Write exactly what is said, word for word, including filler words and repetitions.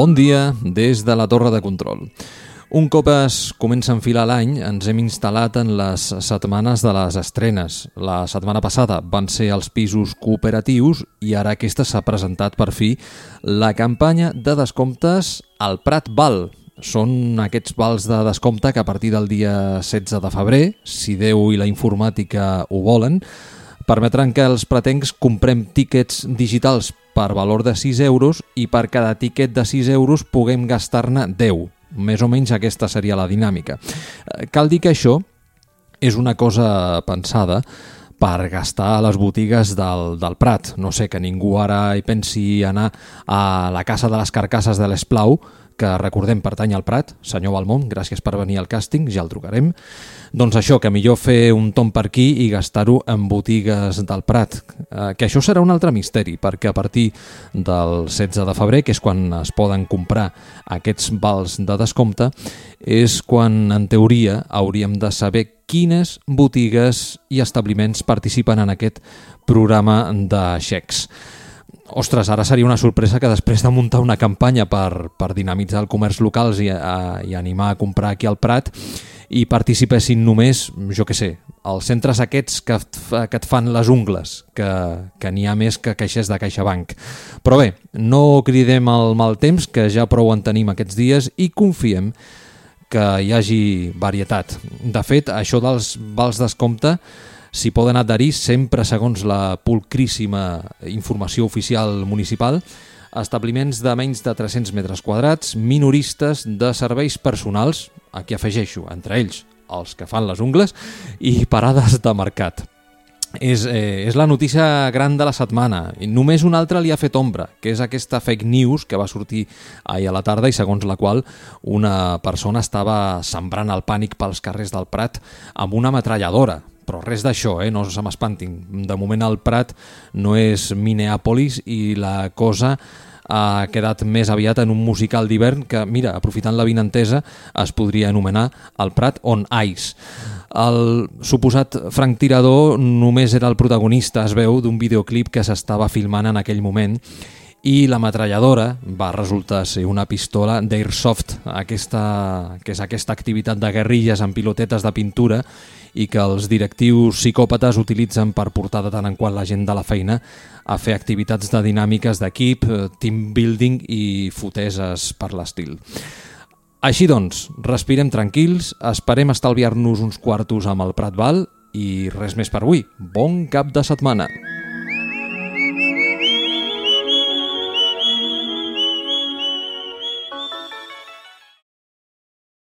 Bon dia des de la Torre de Control. Un cop es comença a enfilar l'any, ens hem instal·lat en les setmanes de les estrenes. La setmana passada van ser els pisos cooperatius i ara aquesta s'ha presentat per fi la campanya de descomptes al Prat Val. Són aquests vals de descompte que a partir del dia setze de febrer, si Déu i la informàtica ho volen, permetran que els pratencs comprem tíquets digitals per valor de sis euros i per cada tíquet de sis euros puguem gastar-ne deu. Més o menys aquesta seria la dinàmica. Cal dir que això és una cosa pensada per gastar a les botigues del, del Prat. No sé, que ningú ara hi pensi anar a la Casa de les Carcasses de l'Esplau, que recordem pertany al Prat. Senyor Balmont, gràcies per venir al càsting, ja el trucarem. Doncs això, que millor fer un tomb per aquí i gastar-ho en botigues del Prat. Eh, que això serà un altre misteri, perquè a partir del setze de febrer, que és quan es poden comprar aquests vals de descompte, és quan, en teoria, hauríem de saber quines botigues i establiments participen en aquest programa de xecs. Ostres, ara seria una sorpresa que després de muntar una campanya per, per dinamitzar el comerç locals i, a, i animar a comprar aquí al Prat i participessin només, jo què sé, els centres aquests que, que et fan les ungles, que, que n'hi ha més que caixers de CaixaBank. Però bé, no cridem el mal temps, que ja prou en tenim aquests dies, i confiem que hi hagi varietat. De fet, això dels vals descompte s'hi poden adherir sempre segons la pulcríssima informació oficial municipal, establiments de menys de tres-cents metres quadrats, minoristes de serveis personals, aquí afegeixo, entre ells els que fan les ungles, i parades de mercat. És, eh, és la notícia gran de la setmana. I només una altra li ha fet ombra, que és aquesta fake news que va sortir ahir a la tarda i segons la qual una persona estava sembrant el pànic pels carrers del Prat amb una metralladora. Però res d'això, eh? No se m'espantin. De moment el Prat no és Minneapolis i la cosa ha quedat més aviat en un musical d'hivern que, mira, aprofitant la vinentesa, es podria anomenar el Prat on Ice. El suposat franctirador només era el protagonista, es veu, d'un videoclip que s'estava filmant en aquell moment, i la metralladora va resultar ser una pistola d'Airsoft, aquesta, que és aquesta activitat de guerrilles amb pilotetes de pintura i que els directius psicòpates utilitzen per portar de tant en quant la gent de la feina a fer activitats de dinàmiques d'equip, team building i foteses per l'estil. Així doncs, respirem tranquils, esperem estalviar-nos uns quartos amb el Prat Val i res més per avui. Bon cap de setmana!